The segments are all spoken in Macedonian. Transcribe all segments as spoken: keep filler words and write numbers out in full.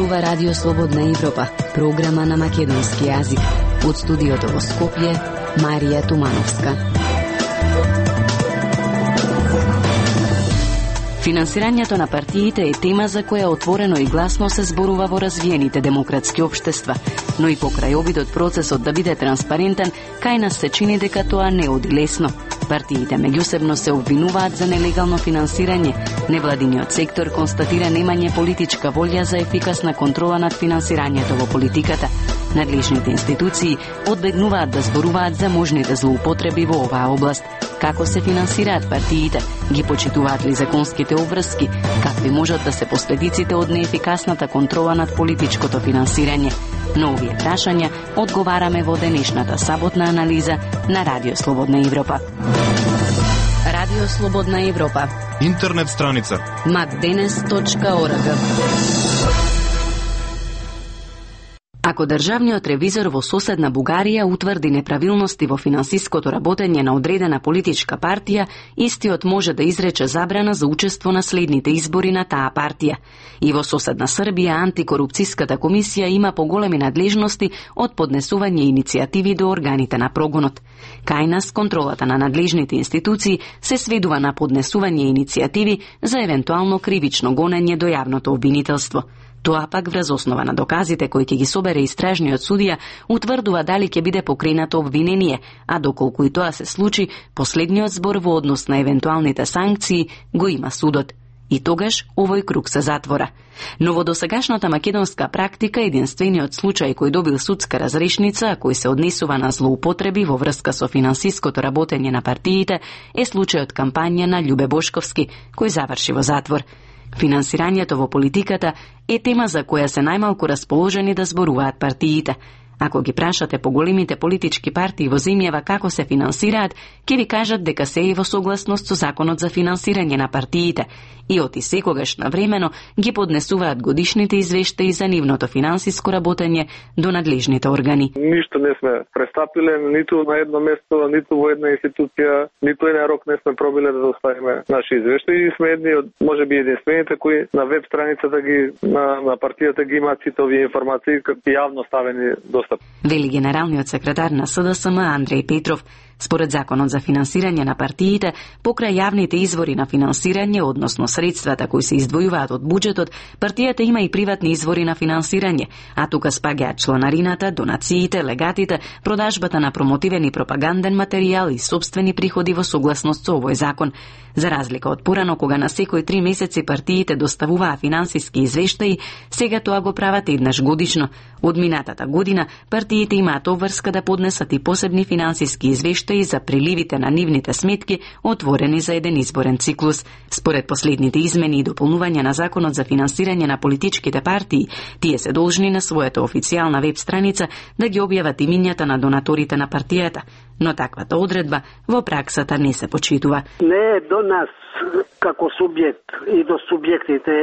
зборува Радио Слободна Европа, програма на македонски јазик. Од студиото во Скопје, Марија Тумановска. Финансирањето на партиите е тема за која отворено и гласно се зборува во развиените демократски општества, но и покрај обидот процесот да биде транспарентен, кај нас се чини дека тоа не оди лесно. Партиите меѓусебно се обвинуваат за нелегално финансирање. Невладиниот сектор констатира немање политичка волја за ефикасна контрола над финансирањето во политиката. Надлежните институции одбегнуваат да зборуваат за можните злоупотреби во оваа област. Како се финансираат партиите? Ги почитуваат ли законските обврски? Какви можат да се последиците од неефикасната контрола над политичкото финансирање? На овие прашања одговараме во денешната саботна анализа на Радио Слободна Европа. Радио Слободна Европа. Интернет страница макденес точка орг. Ако државниот ревизор во соседна Бугарија утврди неправилности во финансиското работење на одредена политичка партија, истиот може да изрече забрана за учество на следните избори на таа партија. И во соседна Србија антикорупцијската комисија има поголеми надлежности од поднесување иницијативи до органите на прогонот. Кај нас контролата на надлежните институции се сведува на поднесување иницијативи за евентуално кривично гонење до јавното обвинителство. Тоа пак врз основа на доказите кои ќе ги собере истражниот судија утврдува дали ќе биде покренато обвинение, а доколку и тоа се случи, последниот збор во однос на евентуалните санкции го има судот. И тогаш овој круг се затвора. Но во досегашната македонска практика единствениот случај кој добил судска разрешница, а кој се однесува на злоупотреби во врска со финансиското работење на партиите, е случајот кампања на Љубе Бошковски, кој заврши во затвор. Финансирањето во политиката е тема за која се најмалку расположени да зборуваат партиите. Ако ги прашате поголемите политички партии во земјава како се финансираат, ќе ви кажат дека се е во согласност со законот за финансирање на партиите и оти секогаш навремено ги поднесуваат годишните извештаи за нивното финансиско работење до надлежните органи. Ништо не сме престапиле, ниту на едно место, ниту во една институција, ниту еден рок не сме пробиле да доставиме наши извештаи и сме едни од можеби единствените кои на веб страницата ги на, на партијата ги имаат сите овие информации јавно ставени до вели генералниот секретар на С Д С М Андреј Петров. Според законот за финансирање на партиите, покрај јавните извори на финансирање, односно средствата кои се издвојуваат од буџетот, партијата има и приватни извори на финансирање, а тука спаѓаат чланарината, донациите, легатите, продажбата на промотивен и пропаганден материјал и собствени приходи во согласност со овој закон. За разлика од порано, кога на секој три месеци партиите доставуваа финансиски извештаи, сега тоа го прават еднаш годишно. Од минатата година, партиите имаат обврска да поднесат и посебни финансиски извештаи за приливите на нивните сметки, отворени за еден изборен циклус. Според последните измени и дополнувања на законот за финансирање на политичките партии, тие се должни на својата официјална веб страница да ги објават имињата на донаторите на партијата, но таквата одредба во праксата не се почитува. Не е до нас како субјект и до субјектите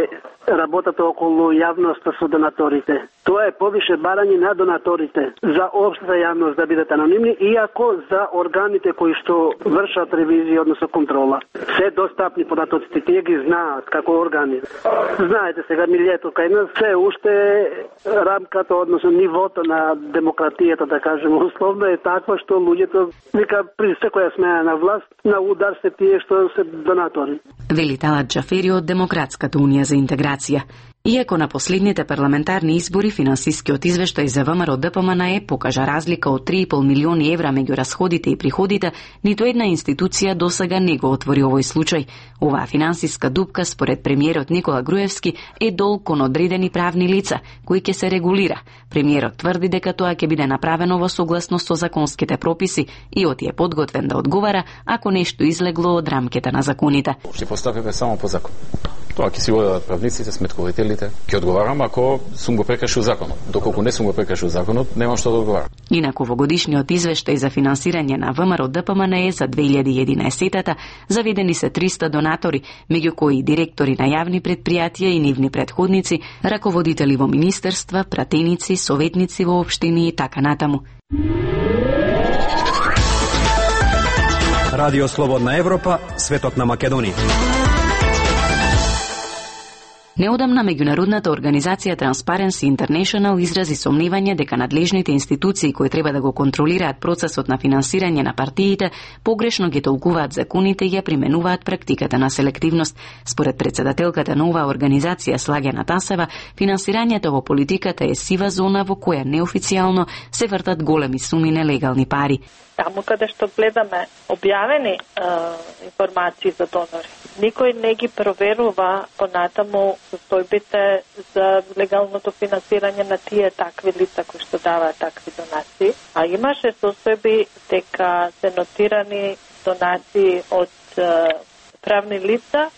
работата околу јавноста со донаторите. Тоа е повише барање на донаторите за општата јавност да бидат анонимни, иако за органите кои што вршат ревизија, односно контрола. Се достапни податоците, тие ги знаат како органи. Знаете сега милието кај нас се уште рамката, односно нивото на демократијата, да кажеме, условно е таква што луѓето вика при секоја смена на власт на удар се тие што се донатори. Вели Талат Џафери од Демократската унија за интеграција. Иако на последните парламентарни избори финансискиот извештај за В М Р Д П М Н Е покажа разлика од три и пол милиони евра меѓу расходите и приходите, ниту една институција досега не го отвори овој случај. Оваа финансиска дупка, според премиерот Никола Груевски, е долг кон одредени правни лица, кои ќе се регулира. Премиерот тврди дека тоа ќе биде направено во согласност со законските прописи и оти е подготвен да одговара ако нешто излегло од рамките на законите. Ќе поставиме само по закон. Тоа ќе си го дадат правниците, сметковителите. Ќе одговарам ако сум го прекршил законот. Доколку не сум го прекршил законот, немам што да одговарам. Инаку во годишниот извештај за финансирање на В М Р Д П М Н Е за две илјади и единаесетта заведени се триста донатори, меѓу кои директори на јавни претпријатија и нивни претходници, раководители во министерства, пратеници, советници во општини и така натаму. Радио Слободна Европа, светот на Македонија. Неодамна меѓународната организација Transparency International изрази сомневање дека надлежните институции кои треба да го контролираат процесот на финансирање на партиите погрешно ги толкуваат законите и ја применуваат практиката на селективност. Според председателката на оваа организација Слагена Тасева, финансирањето во политиката е сива зона во која неофицијално се вртат големи суми нелегални пари. Таму каде што гледаме објавени е, информации за донори, никој не ги проверува понатаму состојбите за легалното финансирање на тие такви лица кои што даваат такви донации. А имаше состојби дека се нотирани донации од е, правни лица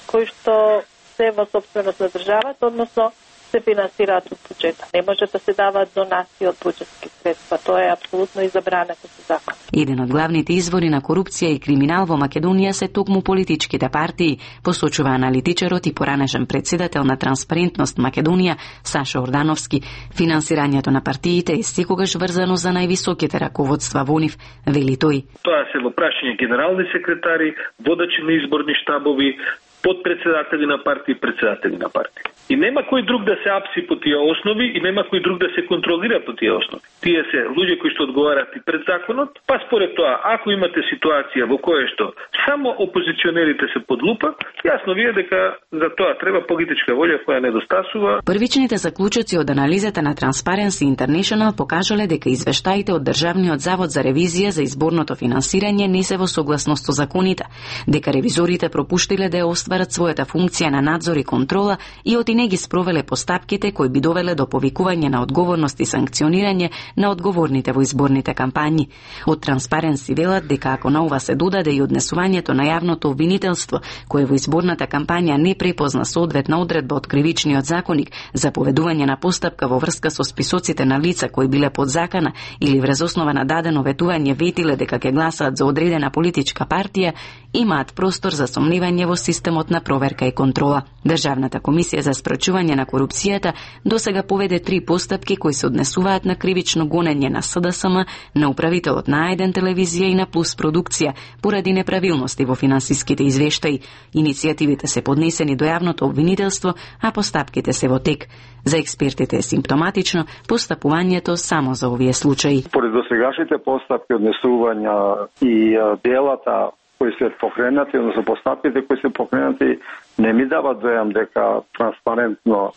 кои што се во сопственост на државата, односно се финансираат од буџета. Не може да се даваат донации од буџетски средства. Тоа е апсолутно и забрането со закон. Еден од главните извори на корупција и криминал во Македонија се токму политичките партии, посочува аналитичарот и поранешен председател на Транспарентност Македонија Саша Ордановски. Финансирањето на партиите е секогаш врзано за највисоките раководства во нив, вели тој. Тоа се во прашање генерални секретари, водачи на изборни штабови, подпредседатели на партии и председатели на партии. И нема кој друг да се апси по тие основи и нема кој друг да се контролира по тие основи. Тие се луѓе кои што одговараат и пред законот, па според тоа, ако имате ситуација во која што само опозиционерите се под лупа, јасно ви е дека за тоа треба политичка волја која недостасува. Првичните заклучоци од анализата на Transparency International покажале дека извештаите од Државниот завод за ревизија за изборното финансирање не се во согласност со законите, дека ревизорите пропуштиле да ја остварат својата функција на надзор и контрола и оти не ги спровеле постапките кои би довеле до повикување на одговорност и санкционирање на одговорните во изборните кампањи. Од Transparency велат дека ако на ова се додаде и однесувањето на јавното обвинителство, кое во изборната кампања не препозна соодветна одредба од Кривичниот законник за поведување на постапка во врска со списоците на лица кои биле под закана или врз основа на дадено ветување ветиле дека ќе гласаат за одредена политичка партија, имаат простор за сомневање во системот на проверка и контрола. Државната комисија за спречување на корупцијата досега поведе три постапки кои се однесуваат на кривично гонење на С Д С М, на управителот на А еден телевизија и на Плюс продукција поради неправилности во финансиските извештаи. Иницијативите се поднесени до јавното обвинителство, а постапките се во тек. За експертите е симптоматично постапувањето само за овие случаи. Поред досегашните постапки, однесувања и делата кои се покренати, односно постапките кои се покренати, не ми дават дојам дека транспарентно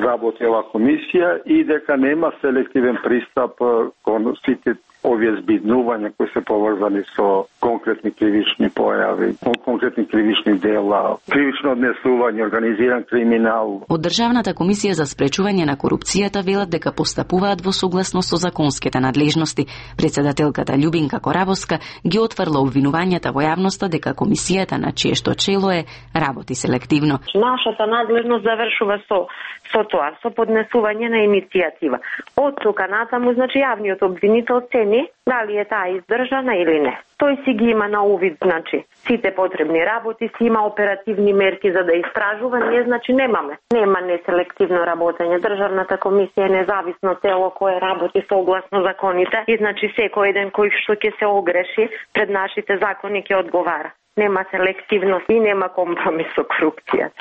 работи ова комисија и дека нема селективен пристап кон сите овие збиднувања кои се поврзани со конкретни кривични појави, конкретни кривични дела, кривично однесување, организиран криминал. Од Државната комисија за спречување на корупцијата велат дека постапуваат во согласност со законските надлежности. Председателката Љубинка Корабовска ги отврла обвинувањата во јавноста дека комисијата на чие што чело е работи селективно. Нашата надлежност завршува со со тоа, со поднесување на иницијатива. Од тука натаму, значи јавниот обвинител цени дали е таа издржана или не. Тој си ги има на увид, значи, сите потребни работи, си има оперативни мерки за да истражува, ние, значи, немаме. Нема неселективно работење. Државната комисија е независно тело кое работи согласно законите и, значи, секој еден кој што ќе се огреши пред нашите закони ќе одговара. Нема селективност и нема компромис со корупција.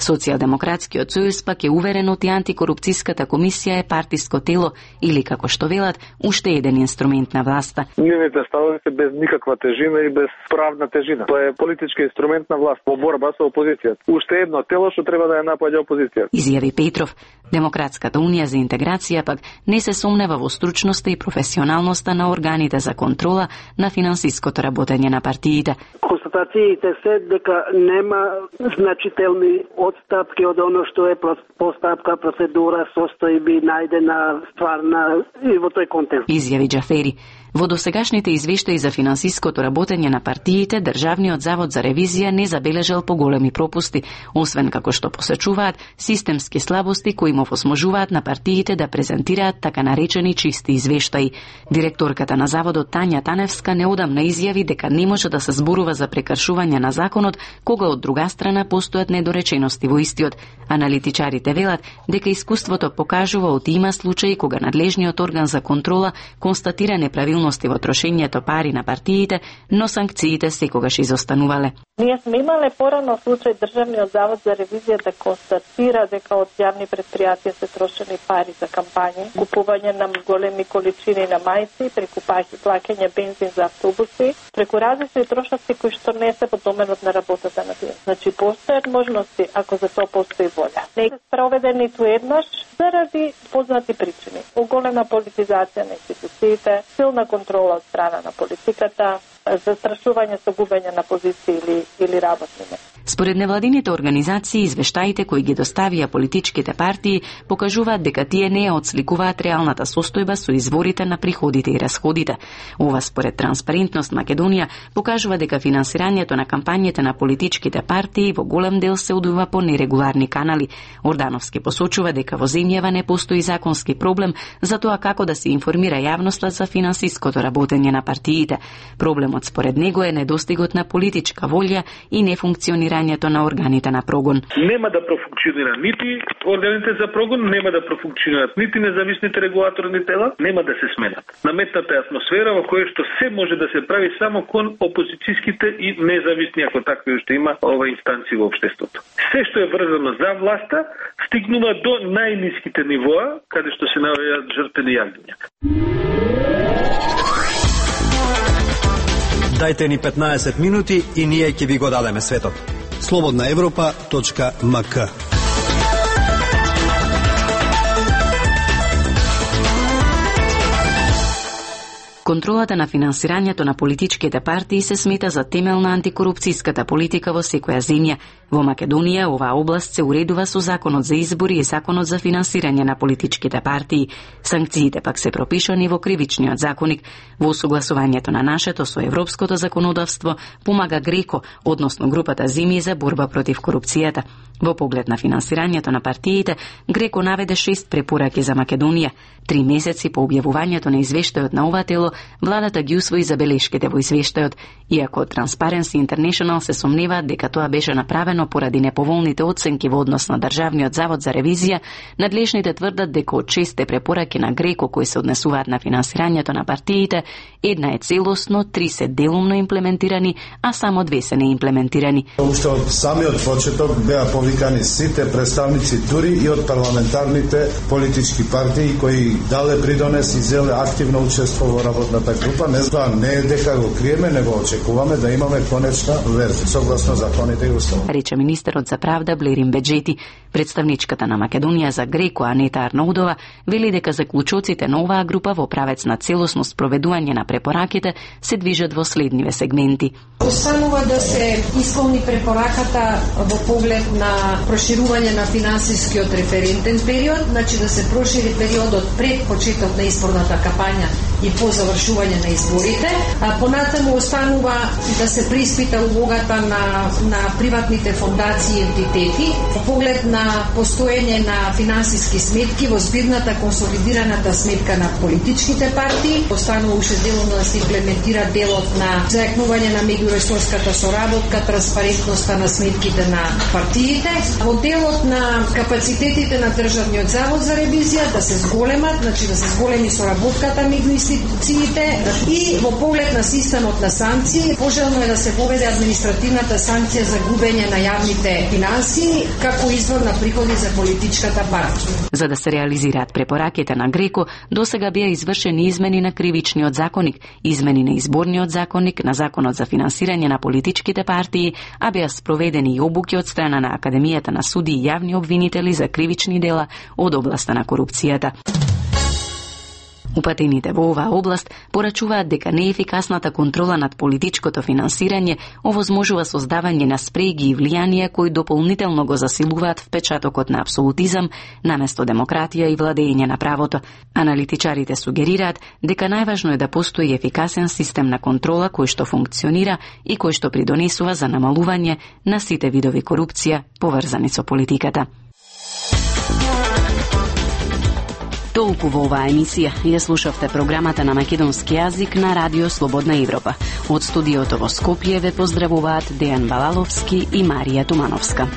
Социјалдемократскиот сојуз пак е уверен од и антикорупцијската комисија е партиско тело или, како што велат, уште еден инструмент на власта. Нивните ставови се без никаква тежина и без правна тежина. Тоа е политички инструмент на власт во борба со опозицијата. Уште едно тело што треба да ја напаѓа опозицијата. Изјави Петров. Демократската унија за интеграција пак не се сомнева во стручноста и професионалноста на органите за контрола на финансиското работење на партиите. Констатациите се дека нема значителни отстапки од оно што е постапка, процедура, состојби, најдена стварна и во тој контекст. Изјави Џафери. Во досегашните извештаи за финансиското работење на партиите, Државниот завод за ревизија не забележал поголеми пропусти, освен како што посечуваат системски слабости кои му возможуваат на партиите да презентираат така наречени чисти извештаи. Директорката на заводот Тања Таневска неодамна изјави дека не може да се зборува за прекршување на законот, кога од друга страна постојат недоречености во истиот. Аналитичарите велат дека искуството покажува од има случаи кога надлежниот орган за контрола констатира неправилности во трошењето пари на партиите, но санкциите секогаш изостанувале. Ние сме имале порано случај Државниот завод за ревизија да констатира дека од јавни предпријатија се трошени пари за кампањи, купување на големи количини на мајци, преку плаќање бензин за автобуси, преку различни трошоци кои што не се во доменот на работата на тие. Значи постојат можности ако за тоа постои волја. Не се спроведе ниту еднаш заради познати причини. Оголема политизација на институциите, силна контрола од страна на политиката, застрашување со губење на позиции или, или работни места. Според невладините организации, извештаите кои ги доставија политичките партии покажуваат дека тие не отсликуваат реалната состојба со изворите на приходите и расходите. Ова според Транспарентност Македонија покажува дека финансирањето на кампањите на политичките партии во голем дел се одвива по нерегуларни канали. Ордановски посочува дека во земјава не постои законски проблем за тоа како да се информира јавноста за финансиското работење на партиите. Проблемот според него е недостигот на политичка волја и нефункционирањето на органите на прогон. Нема да профункционира нити органите за прогон, нема да профункционират нити независните регулаторни тела, нема да се сменат. Наметната е атмосфера во која што се може да се прави само кон опозицијските и независни, ако такви уште има, ова инстанции во општеството. Се што е врзано за власта стигнува до најниските нивоа, каде што се наоѓаат жртвени јавња. Дајте ни петнаесет минути и ние ќе ви го дадеме светот. слободна европа точка ем ка. Контролата на финансирањето на политичките партии се смета за темел на антикорупцијската политика во секоја земја. Во Македонија оваа област се уредува со Законот за избори и Законот за финансирање на политичките партии. Санкциите пак се пропишани во Кривичниот законник. Во согласувањето на нашето со европското законодавство помага Греко, односно групата земји за борба против корупцијата. Во поглед на финансирањето на партиите, Греко наведе шест препораки за Македонија. Три месеци по објавувањето на извештајот на ова тело, владата ги усвои забелешките во извештајот, иако Transparency International се сомневаат дека тоа беше направено поради неповолните оценки во однос на Државниот завод за ревизија, надлежните тврдат дека од шесте препораки на Греко кои се однесуваат на финансирањето на партиите, една е целосно, три се делумно имплементирани, а само две се неимплементирани. Уште од самиот почеток беа повикани сите представници дури и од парламентарните политички партии кои дале придонес и зеле активно учество во работната група. Не знам, не е дека го криеме, него очекуваме да имаме конечна верзија согласно законите и уставот. Рече министерот за правда Блерин Беџети. Представничката на Македонија за Греко Анета Арнаудова вели дека заклучоците на оваа група во правец на целосно спроведување на препораките се движат во следниве сегменти. Останува да се исполни препораката во поглед на проширување на финансискиот референтен период, значи да се прошири периодот пред почеток на изборната кампања и по завршување на изборите. А понатаму останува да се преиспита улогата на на приватните фондации и ентитети во поглед на постоење на финансиски сметки во збирната консолидираната сметка на политичките партии. Останува уште делно да се имплементира делот на зајакнување на меѓуресорската соработка, транспарентноста на сметките на партиите. Во делот на капацитетите на Државниот завод за ревизија да се зголемат, значи да се зголеми соработката меѓу институциите и во поглед на системот на санкции, пожелно е да се воведе административната санкција за губење на јавните финансии како извор на приходи за политичката партија. За да се реализираат препораките на Греко, досега беа извршени измени на Кривичниот законник, измени на Изборниот законник, на Законот за финансирање на политичките партии, а беа спроведени и обуки од страна на Академијата на суди и јавни обвинители за кривични дела од областа на корупцијата. Упатените во оваа област порачуваат дека неефикасната контрола над политичкото финансирање овозможува создавање на спреги и влијанија кои дополнително го засилуваат впечатокот на апсолутизам наместо демократија и владење на правото. Аналитичарите сугерираат дека најважно е да постои ефикасен систем на контрола кој што функционира и кој што придонесува за намалување на сите видови корупција поврзани со политиката. Толку во оваа емисија. Ја слушавте програмата на македонски јазик на Радио Слободна Европа. Од студиото во Скопје ве поздравуваат Дејан Балаловски и Марија Тумановска.